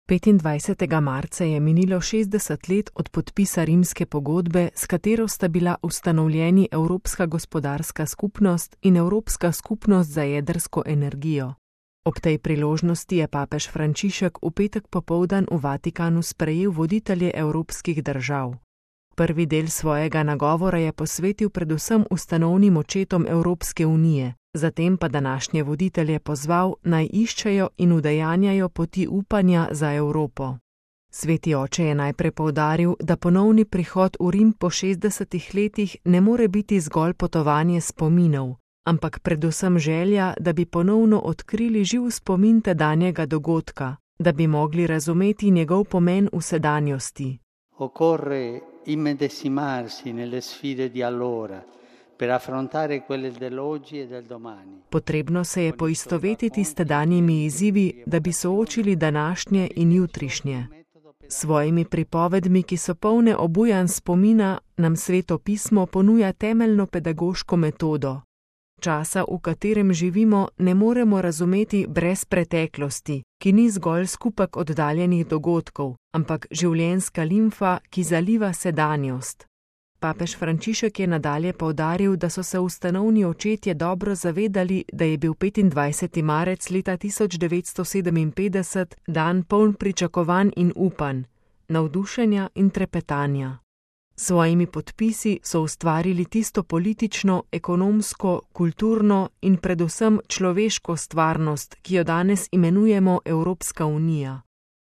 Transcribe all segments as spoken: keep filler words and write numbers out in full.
petindvajsetega marca je minilo šestdeset let od podpisa rimske pogodbe, s katero sta bila ustanovljeni Evropska gospodarska skupnost in Evropska skupnost za jedrsko energijo. Ob tej priložnosti je papež Frančišek v petek popoldan v Vatikanu sprejel voditelje evropskih držav. Prvi del svojega nagovora je posvetil predvsem ustanovnim očetom Evropske unije, zatem pa današnje voditelje pozval, naj iščejo in udejanjajo poti upanja za Evropo. Sveti oče je najprej poudaril, da ponovni prihod v Rim po šestdesetih letih ne more biti zgolj potovanje spominov, ampak predvsem želja, da bi ponovno odkrili živ spomin tedanjega dogodka, da bi mogli razumeti njegov pomen v sedanjosti. Occorre immedesimarsi nelle sfide di allora per affrontare quelle dell'oggi e del domani. Potrebno se je poistovetiti s tedanjimi izzivi, da bi soočili današnje in jutrišnje. S svojimi pripovedmi, ki so polne obujanj spomina, nam Sveto pismo ponuja temeljno pedagoško metodo. Časa, v katerem živimo, ne moremo razumeti brez preteklosti, ki ni zgolj skupek oddaljenih dogodkov, ampak življenjska limfa, ki zaliva sedanjost. Papež Frančišek je nadalje poudaril, da so se ustanovni očetje dobro zavedali, da je bil petindvajseti marec leta tisoč devetsto sedeminpetdeset dan poln pričakovanj in upanj, navdušenja in trepetanja. S svojimi podpisi so ustvarili tisto politično, ekonomsko, kulturno in predvsem človeško stvarnost, ki jo danes imenujemo Evropska unija.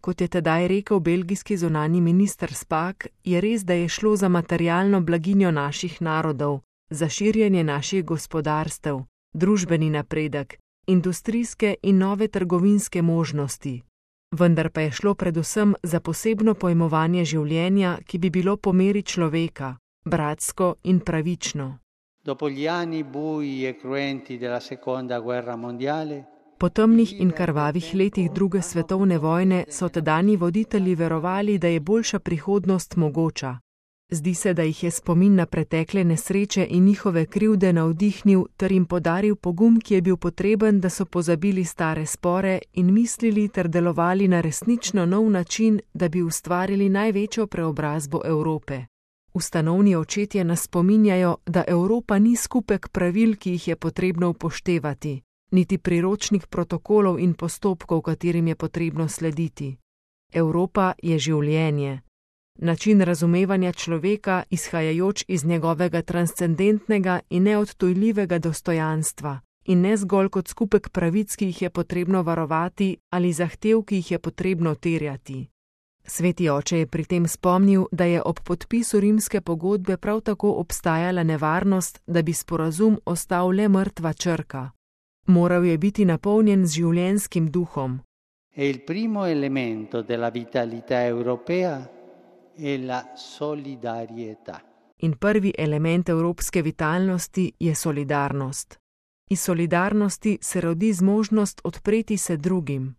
Kot je tedaj rekel belgijski zunanji minister Spaak, je res, da je šlo za materialno blaginjo naših narodov, za širjenje naših gospodarstev, družbeni napredek, industrijske in nove trgovinske možnosti. Vendar pa je šlo predvsem za posebno pojmovanje življenja, ki bi bilo po meri človeka, bratsko in pravično. Dopo gli anni bui e cruenti della seconda guerra mondiale, Po temnih in krvavih letih druge svetovne vojne so tedanji voditelji verovali, da je boljša prihodnost mogoča. Zdi se, da jih je spomin na pretekle nesreče in njihove krivde navdihnil ter jim podaril pogum, ki je bil potreben, da so pozabili stare spore in mislili ter delovali na resnično nov način, da bi ustvarili največjo preobrazbo Evrope. Ustanovni očetje nas spominjajo, da Evropa ni skupek pravil, ki jih je potrebno upoštevati, niti priročnih protokolov in postopkov, katerim je potrebno slediti. Evropa je življenje. Način razumevanja človeka, izhajajoč iz njegovega transcendentnega in neodtujljivega dostojanstva, in ne zgolj kot skupek pravic, ki jih je potrebno varovati ali zahtev, ki jih je potrebno terjati. Sveti oče je pri tem spomnil, da je ob podpisu rimske pogodbe prav tako obstajala nevarnost, da bi sporazum ostal le mrtva črka. Moral je biti napolnjen z življenjskim duhom. E il primo elemento della vitalità europea è la solidarietà. In prvi element evropske vitalnosti je solidarnost. Iz solidarnosti se rodi zmožnost odpreti se drugim.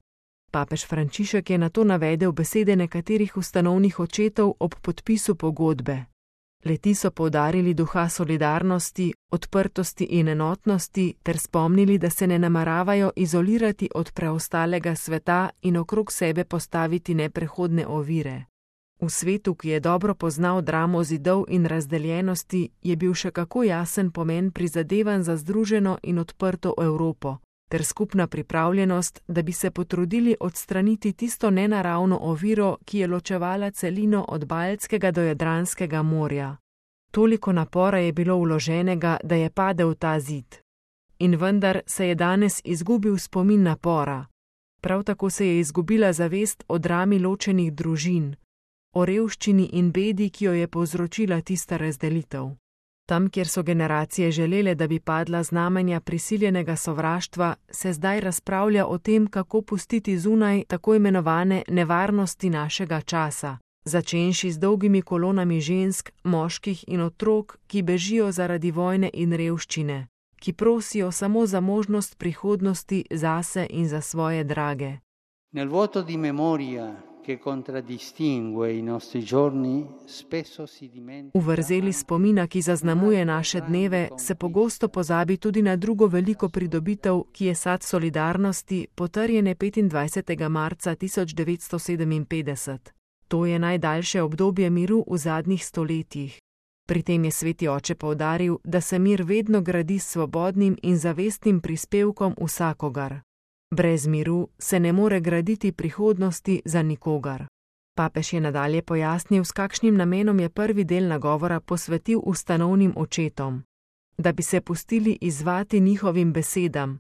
Papež Frančišek je nato navedel besede nekaterih ustanovnih očetov ob podpisu pogodbe. Leti so poudarili duha solidarnosti, odprtosti in enotnosti ter spomnili, da se ne nameravajo izolirati od preostalega sveta in okrog sebe postaviti neprehodne ovire. V svetu, ki je dobro poznal dramo zidov in razdeljenosti, je bil še kako jasen pomen prizadevanj za združeno in odprto Evropo, ter skupna pripravljenost, da bi se potrudili odstraniti tisto nenaravno oviro, ki je ločevala celino od Baltskega do Jadranskega morja. Toliko napora je bilo vloženega, da je padel ta zid. In vendar se je danes izgubil spomin napora. Prav tako se je izgubila zavest o drami ločenih družin, o revščini in bedi, ki jo je povzročila tista razdelitev. Tam, kjer so generacije želele, da bi padla znamenja prisiljenega sovraštva, se zdaj razpravlja o tem, kako pustiti zunaj tako imenovane nevarnosti našega časa, začenši z dolgimi kolonami žensk, moških in otrok, ki bežijo zaradi vojne in revščine, ki prosijo samo za možnost prihodnosti zase in za svoje drage. Nel vuoto di memoria che contraddistingue i nostri giorni spesso si dimentica. V vrzeli spomina, ki zaznamuje naše dneve, se pogosto pozabi tudi na drugo veliko pridobitev, ki je sad solidarnosti, potrjene petindvajsetega marca tisoč devetsto sedeminpetdeset. To je najdaljše obdobje miru v zadnjih stoletjih. Pri tem je sveti oče poudaril, da se mir vedno gradi s svobodnim in zavestnim prispevkom vsakogar. Brez miru se ne more graditi prihodnosti za nikogar. Papež je nadalje pojasnil, s kakšnim namenom je prvi del nagovora posvetil ustanovnim očetom. Da bi se pustili izzvati njihovim besedam,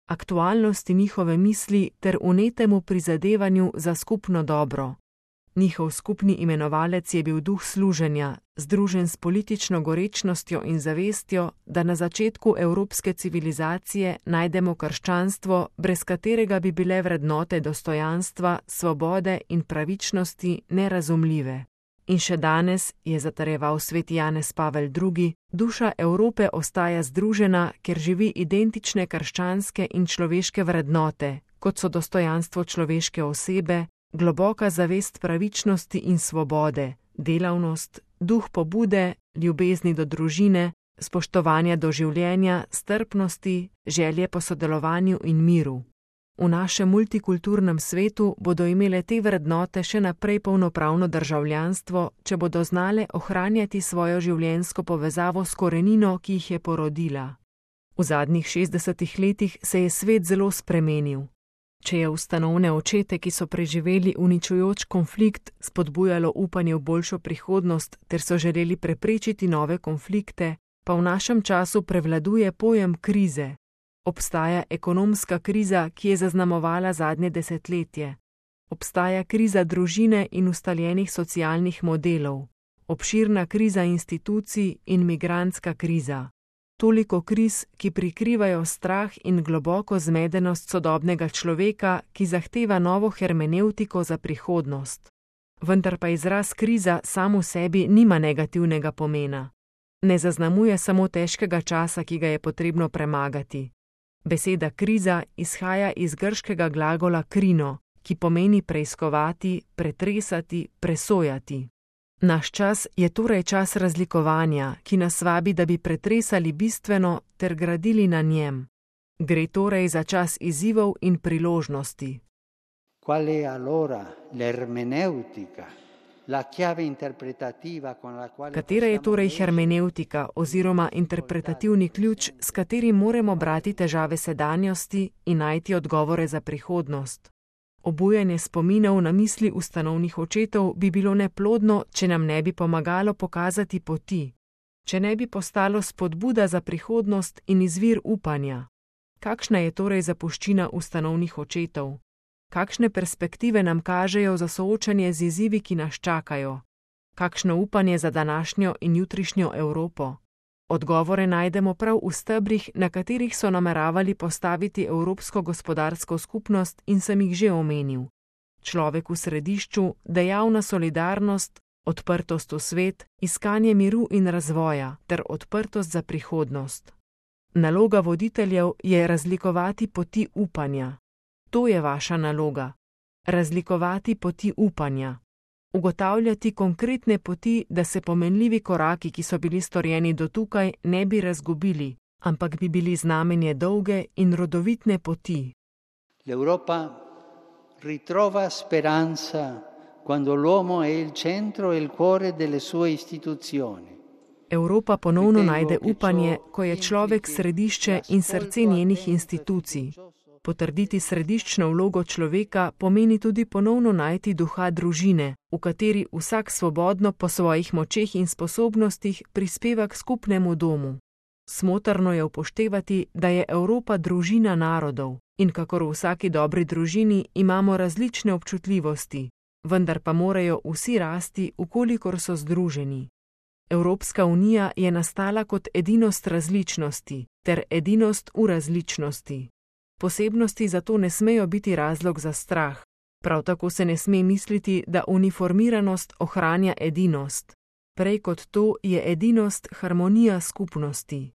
aktualnosti njihove misli ter vnetemu prizadevanju za skupno dobro. Njihov skupni imenovalec je bil duh služenja, združen s politično gorečnostjo in zavestjo, da na začetku evropske civilizacije najdemo krščanstvo, brez katerega bi bile vrednote dostojanstva, svobode in pravičnosti nerazumljive. In še danes, je zatrjeval sveti Janez Pavel drugi, duša Evrope ostaja združena, ker živi identične krščanske in človeške vrednote, kot so dostojanstvo človeške osebe, globoka zavest pravičnosti in svobode, delavnost, duh pobude, ljubezni do družine, spoštovanja do življenja, strpnosti, želje po sodelovanju in miru. V našem multikulturnem svetu bodo imele te vrednote še naprej polnopravno državljanstvo, če bodo znale ohranjati svojo življenjsko povezavo s korenino, ki jih je porodila. V zadnjih šestdesetih letih se je svet zelo spremenil. Če je ustanovne očete, ki so preživeli uničujoč konflikt, spodbujalo upanje v boljšo prihodnost ter so želeli preprečiti nove konflikte, pa v našem času prevladuje pojem krize. Obstaja ekonomska kriza, ki je zaznamovala zadnje desetletje. Obstaja kriza družine in ustaljenih socialnih modelov. Obširna kriza institucij in migrantska kriza. Toliko kriz, ki prikrivajo strah in globoko zmedenost sodobnega človeka, ki zahteva novo hermenevtiko za prihodnost. Vendar pa izraz kriza sam v sebi nima negativnega pomena. Ne zaznamuje samo težkega časa, ki ga je potrebno premagati. Beseda kriza izhaja iz grškega glagola krino, ki pomeni preiskovati, pretresati, presojati. Naš čas je torej čas razlikovanja, ki nas vabi, da bi pretresali bistveno ter gradili na njem. Gre torej za čas izzivov in priložnosti. Qual è allora l'ermeneutica, la chiave interpretativa con la quale Katera je torej hermeneutika oziroma interpretativni ključ, s katerim moramo brati težave sedanjosti in najti odgovore za prihodnost? Obujanje spominov na misli ustanovnih očetov bi bilo neplodno, če nam ne bi pomagalo pokazati poti, če ne bi postalo spodbuda za prihodnost in izvir upanja. Kakšna je torej zapuščina ustanovnih očetov? Kakšne perspektive nam kažejo za soočanje z izzivi, ki nas čakajo? Kakšno upanje za današnjo in jutrišnjo Evropo? Odgovore najdemo prav v stebrih, na katerih so nameravali postaviti Evropsko gospodarsko skupnost in sem jih že omenil. Človek v središču, dejavna solidarnost, odprtost v svet, iskanje miru in razvoja ter odprtost za prihodnost. Naloga voditeljev je razlikovati poti upanja. To je vaša naloga. Razlikovati poti upanja. Ugotavljati konkretne poti, da se pomenljivi koraki, ki so bili storjeni do tukaj, ne bi razgubili, ampak bi bili znamenje dolge in rodovitne poti. L'Europa ritrova speranza quando l'uomo è il centro e il cuore delle sue istituzioni. Evropa ponovno najde upanje, ko je človek središče in srce njenih institucij. Potrditi središčno vlogo človeka pomeni tudi ponovno najti duha družine, v kateri vsak svobodno po svojih močeh in sposobnostih prispeva k skupnemu domu. Smotrno je upoštevati, da je Evropa družina narodov in kakor v vsaki dobri družini imamo različne občutljivosti, vendar pa morajo vsi rasti, ukolikor so združeni. Evropska unija je nastala kot edinost različnosti ter edinost v različnosti. Posebnosti zato ne smejo biti razlog za strah. Prav tako se ne sme misliti, da uniformiranost ohranja edinost. Prej kot to je edinost harmonija skupnosti.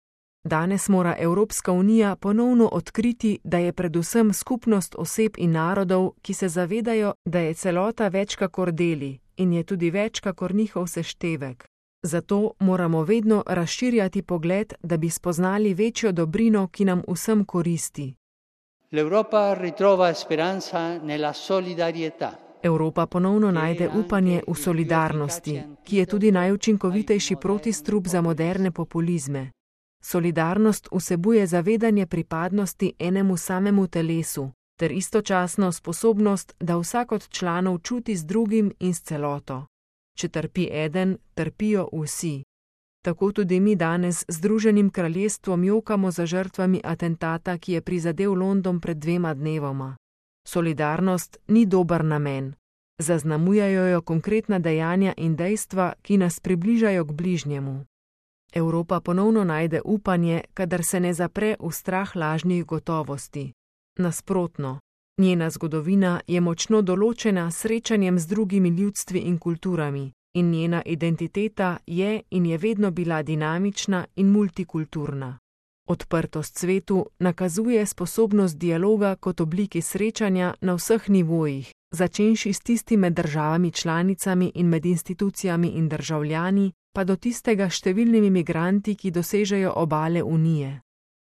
Danes mora Evropska unija ponovno odkriti, da je predvsem skupnost oseb in narodov, ki se zavedajo, da je celota več kakor deli in je tudi več kakor njihov seštevek. Zato moramo vedno razširjati pogled, da bi spoznali večjo dobrino, ki nam vsem koristi. L'Europa ritrova speranza nella solidarietà. Evropa ponovno najde upanje v solidarnosti, ki je tudi najučinkovitejši protistrup za moderne populizme. Solidarnost vsebuje zavedanje pripadnosti enemu samemu telesu, ter istočasno sposobnost, da vsak od članov čuti z drugim in s celoto. Če trpi eden, trpijo vsi. Tako tudi mi danes z Združenim kraljestvom jokamo za žrtvami atentata, ki je prizadel London pred dvema dnevoma. Solidarnost ni dober namen. Zaznamujajo jo konkretna dejanja in dejstva, ki nas približajo k bližnjemu. Evropa ponovno najde upanje, kadar se ne zapre v strah lažnih gotovosti. Nasprotno, njena zgodovina je močno določena s srečanjem z drugimi ljudstvi in kulturami, in njena identiteta je in je vedno bila dinamična in multikulturna. Odprtost svetu nakazuje sposobnost dialoga kot obliki srečanja na vseh nivojih, začenši s tistim med državami članicami in med institucijami in državljani, pa do tistega številnimi migranti, ki dosežejo obale Unije.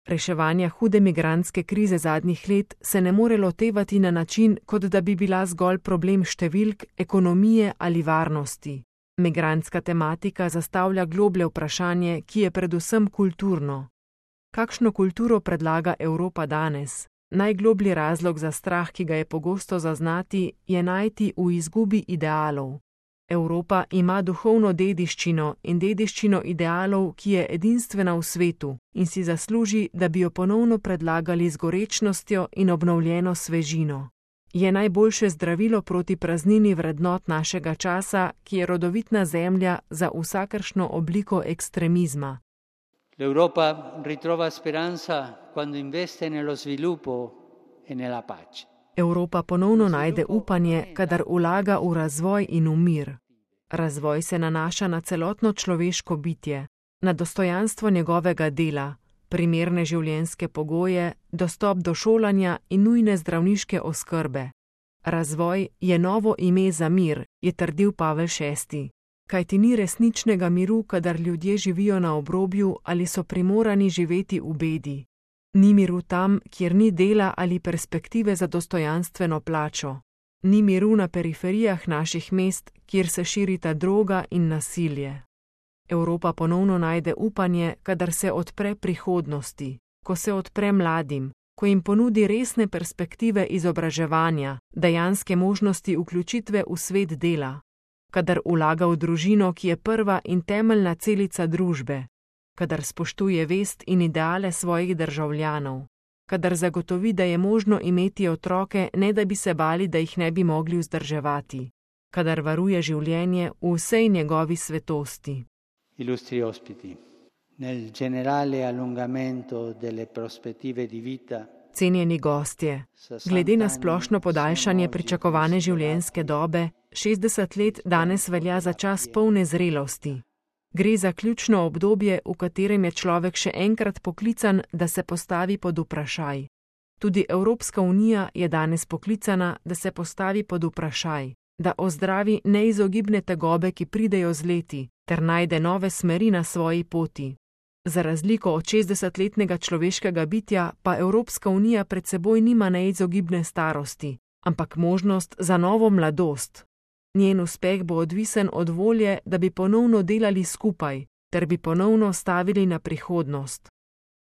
Reševanja hude migrantske krize zadnjih let se ne more lotevati na način, kot da bi bila zgolj problem številk, ekonomije ali varnosti. Migrantska tematika zastavlja globlje vprašanje, ki je predvsem kulturno. Kakšno kulturo predlaga Evropa danes? Najgloblji razlog za strah, ki ga je pogosto zaznati, je najti v izgubi idealov. Evropa ima duhovno dediščino in dediščino idealov, ki je edinstvena v svetu in si zasluži, da bi jo ponovno predlagali z gorečnostjo in obnovljeno svežino. Je najboljše zdravilo proti praznini vrednot našega časa, ki je rodovitna zemlja za vsakršno obliko ekstremizma. L'Europa ritrova speranza quando investe nello sviluppo e nella pace. Evropa ponovno najde upanje, kadar vlaga v razvoj in v mir. Razvoj se nanaša na celotno človeško bitje, na dostojanstvo njegovega dela, primerne življenjske pogoje, dostop do šolanja in nujne zdravniške oskrbe. Razvoj je novo ime za mir, je trdil Pavel šesti. Kajti ni resničnega miru, kadar ljudje živijo na obrobju ali so primorani živeti v bedi. Ni miru tam, kjer ni dela ali perspektive za dostojanstveno plačo. Ni miru na periferijah naših mest, kjer se širita droga in nasilje. Evropa ponovno najde upanje, kadar se odpre prihodnosti, ko se odpre mladim, ko jim ponudi resne perspektive izobraževanja, dejanske možnosti vključitve v svet dela, kadar vlaga v družino, ki je prva in temeljna celica družbe, kadar spoštuje vest in ideale svojih državljanov, kadar zagotovi, da je možno imeti otroke, ne da bi se bali, da jih ne bi mogli vzdrževati, kadar varuje življenje v vsej njegovi svetosti. Illustri ospiti, nel generale allungamento delle prospettive di vita. Cenjeni gostje, glede na splošno podaljšanje pričakovane življenjske dobe, šestdeset let danes velja za čas polne zrelosti. Gre za ključno obdobje, v katerem je človek še enkrat poklican, da se postavi pod vprašaj. Tudi Evropska unija je danes poklicana, da se postavi pod vprašaj, da ozdravi neizogibne tegobe, ki pridejo z leti, ter najde nove smeri na svoji poti. Za razliko od šestdesetletnega človeškega bitja pa Evropska unija pred seboj nima neizogibne starosti, ampak možnost za novo mladost. Njen uspeh bo odvisen od volje, da bi ponovno delali skupaj, ter bi ponovno stavili na prihodnost.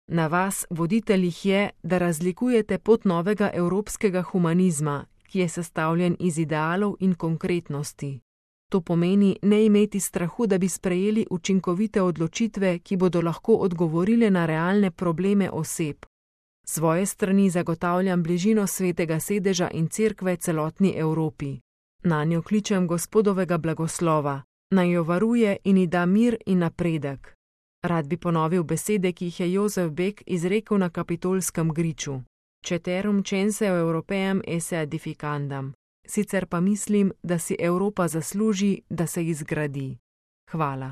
Na vas, voditeljih, je, da razlikujete pot novega evropskega humanizma, ki je sestavljen iz idealov in konkretnosti. To pomeni ne imeti strahu, da bi sprejeli učinkovite odločitve, ki bodo lahko odgovorile na realne probleme oseb. Svoje strani zagotavljam bližino svetega sedeža in cerkve celotni Evropi. Nanjo kličem Gospodovega blagoslova, naj jo varuje in ji da mir in napredek. Rad bi ponovil besede, ki jih je Jozef Bek izrekel na kapitolskem griču. Ceterum censeo Europeam esse edificandam. Sicer pa mislim, da si Evropa zasluži, da se izgradi. Hvala.